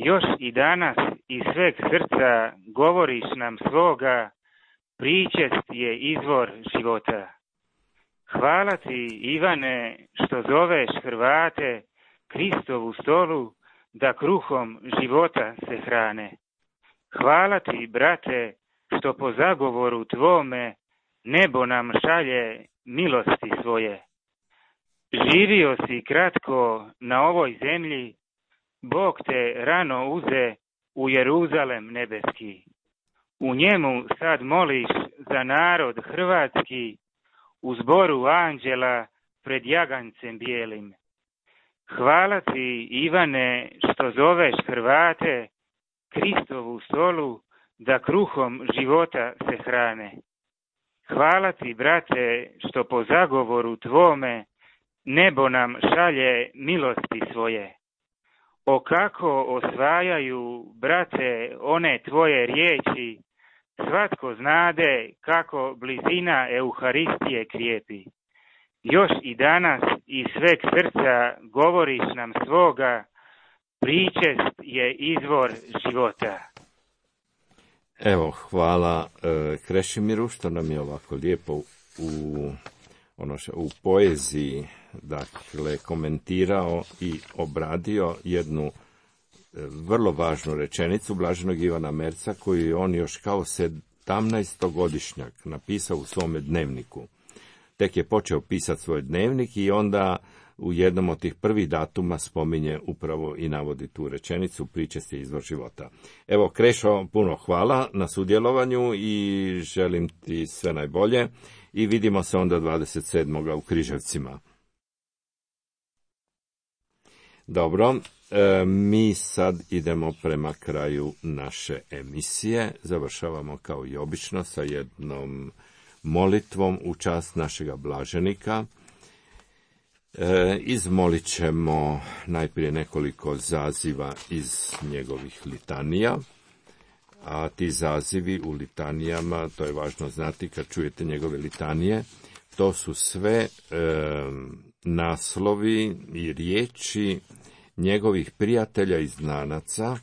Još i danas iz sveg srca govoriš nam svoga, pričest je izvor života. Hvala ti, Ivane, što zoveš Hrvate Kristovu stolu, da kruhom života se hrane. Hvala ti, brate, što po zagovoru tvome nebo nam šalje milosti svoje. Živio si kratko na ovoj zemlji, Bog te rano uze u Jeruzalem nebeski. U njemu sad moliš za narod hrvatski, u zboru anđela pred jagancem bijelim. Hvala ti, Ivane, što zoveš Hrvate Kristovu stolu, da kruhom života se hrane. Hvala ti, brate, što po zagovoru tvome nebo nam šalje milosti svoje. O kako osvajaju, brate, one tvoje riječi, svatko znade kako blizina Euharistije krijepi. Još i danas iz sveg srca govoriš nam svoga, pričest je izvor života. Evo, hvala e, Krešimiru što nam je ovako lijepo u, ono što, u poeziji dakle, komentirao i obradio jednu e, vrlo važnu rečenicu Blaženog Ivana Merca, koju je on još kao sedamnaestogodišnjak napisao u svome dnevniku. Tek je počeo pisati svoj dnevnik i onda u jednom od tih prvih datuma spominje upravo i navodi tu rečenicu, pričest je izvor života. Evo, Krešo, puno hvala na sudjelovanju i želim ti sve najbolje i vidimo se onda dvadeset sedmog u Križevcima. Dobro, e, mi sad idemo prema kraju naše emisije. Završavamo kao i obično sa jednom molitvom u čast našega blaženika. E, izmolit ćemo najprije nekoliko zaziva iz njegovih litanija, a ti zazivi u litanijama, to je važno znati kad čujete njegove litanije, to su sve e, naslovi i riječi njegovih prijatelja i znanaca,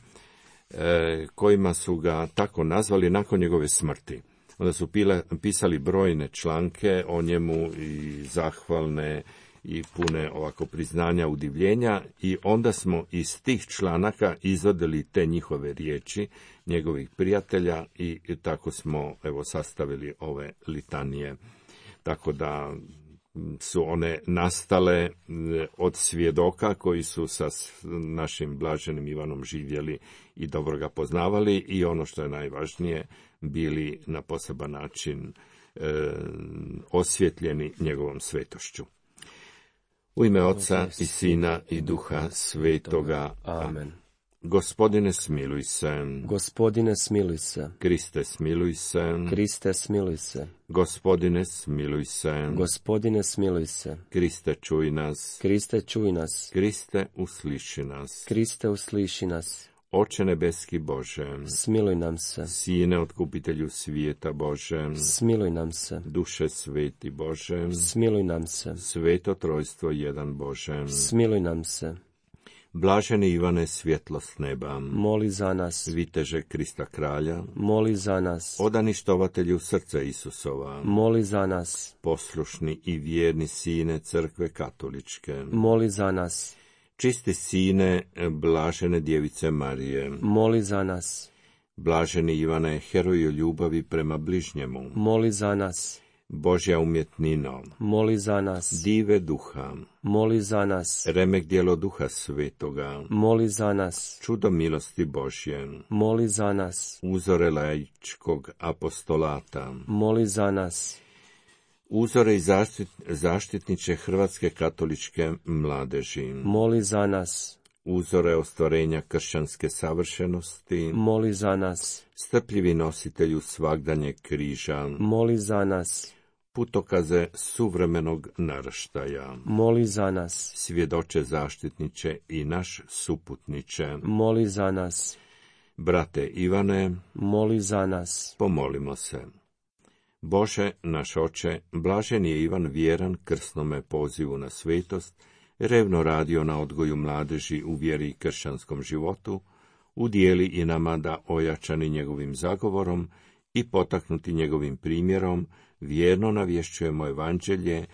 e, kojima su ga tako nazvali nakon njegove smrti. Onda su pila, pisali brojne članke o njemu i zahvalne i pune ovako priznanja, udivljenja, i onda smo iz tih članaka izvadili te njihove riječi, njegovih prijatelja, i tako smo evo sastavili ove litanije. Tako da su one nastale od svjedoka koji su sa našim blaženim Ivanom živjeli i dobro ga poznavali, i ono što je najvažnije, bili na poseban način e, osvjetljeni njegovom svetošću. U ime Oca i Sina i Duha Svetoga. Amen. Gospodine, smiluj se. Gospodine, smiluj se. Kriste, smiluj se. Kriste, smiluj se. Gospodine, smiluj se. Gospodine, smiluj se. Kriste, čuj nas. Kriste, čuj nas. Kriste, usliši nas. Kriste, usliši nas. Oče nebeski Bože, smiluj nam se. Sine, otkupitelju svijeta Bože, smiluj nam se. Duše sveti Bože, smiluj nam se. Sveto trojstvo jedan Bože, smiluj nam se. Blaženi Ivane, svjetlost neba, moli za nas. Viteže Krista kralja, moli za nas. Odani štovatelju srca Isusova, moli za nas. Poslušni i vjerni sine crkve katoličke, moli za nas. Čisti sine blažene djevice Marije, moli za nas. Blaženi Ivane, heroju ljubavi prema bližnjemu, moli za nas. Božja umjetnino, moli za nas. Dive duha, moli za nas. Remek djelo Duha Svetoga, moli za nas. Čudo milosti Božje, moli za nas. Uzore laičkog apostolata, moli za nas. Uzore i zaštit, zaštitniče Hrvatske katoličke mladeži, moli za nas. uzore ostvarenja kršćanske savršenosti, moli za nas. strpljivi nositelju svagdanjeg križa, Moli za nas. putokaze suvremenog naraštaja, Moli za nas. svjedoče zaštitniče i naš suputniče, Moli za nas. brate Ivane, Moli za nas. pomolimo se. Bože, naš oče, blažen je Ivan vjeran krsnome pozivu na svetost, revno radio na odgoju mladeži u vjeri i kršćanskom životu, udijeli i nama da ojačani njegovim zagovorom i potaknuti njegovim primjerom, vjerno navješćujemo evanđelje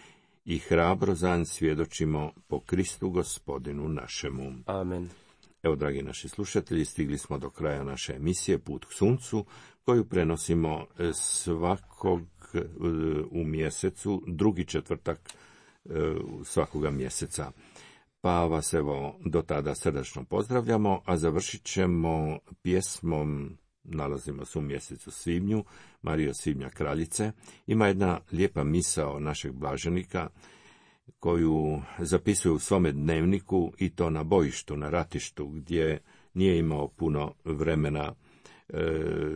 i hrabro zan svjedočimo po Kristu Gospodinu našemu. Amen. Evo, dragi naši slušatelji, stigli smo do kraja naše emisije Put k suncu, koju prenosimo svakog u mjesecu, drugi četvrtak svakoga mjeseca. Pa vas evo do tada srdačno pozdravljamo, a završit ćemo pjesmom, nalazimo se u mjesecu svibnju, Marija Svibnja kraljice. Ima jedna lijepa misao našeg blaženika, koju zapisuje u svome dnevniku, i to na bojištu, na ratištu, gdje nije imao puno vremena e,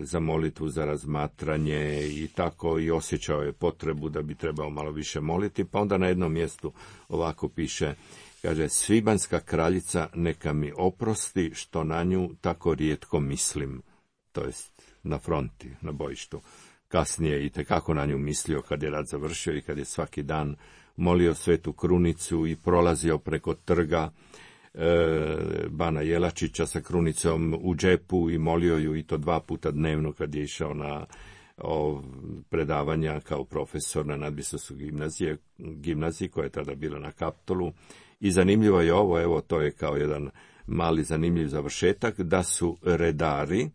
za molitvu, za razmatranje i tako, i osjećao je potrebu da bi trebao malo više moliti, pa onda na jednom mjestu ovako piše, kaže, svibanjska kraljica neka mi oprosti što na nju tako rijetko mislim, to jest na fronti, na bojištu. Kasnije i tekako na nju mislio kad je rat završio i kad je svaki dan molio Svetu Krunicu i prolazio preko trga e, Bana Jelačića sa krunicom u džepu i molio ju, i to dva puta dnevno kad je išao na o, predavanja kao profesor na Nadbiskupskoj gimnaziji, gimnaziji koja je tada bila na Kaptolu. I zanimljivo je ovo, evo to je kao jedan mali zanimljiv završetak, da su redari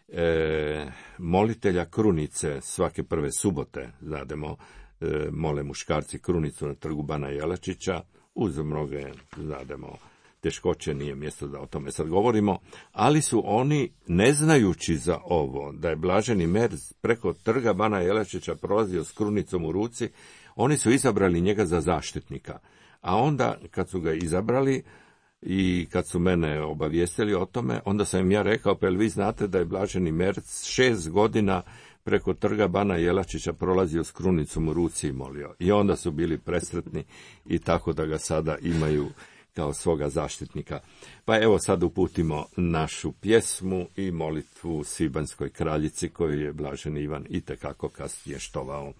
e, molitelja krunice svake prve subote, znademo, e, mole muškarci krunicu na trgu Bana Jelačića, uz mnoge, znademo, teškoće, nije mjesto da o tome sad govorimo, ali su oni, ne znajući za ovo, da je blaženi Merz preko trga Bana Jelačića prolazio s krunicom u ruci, oni su izabrali njega za zaštitnika. A onda, kad su ga izabrali i kad su mene obavijestili o tome, onda sam im ja rekao, pa jel vi znate da je blaženi Merz šest godina preko trga Bana Jelačića prolazio s krunicom u ruci i molio. I onda su bili presretni i tako da ga sada imaju kao svoga zaštitnika. Pa evo sad uputimo našu pjesmu i molitvu Svibanjskoj kraljici koju je blaženi Ivan itekako kasnije štovao.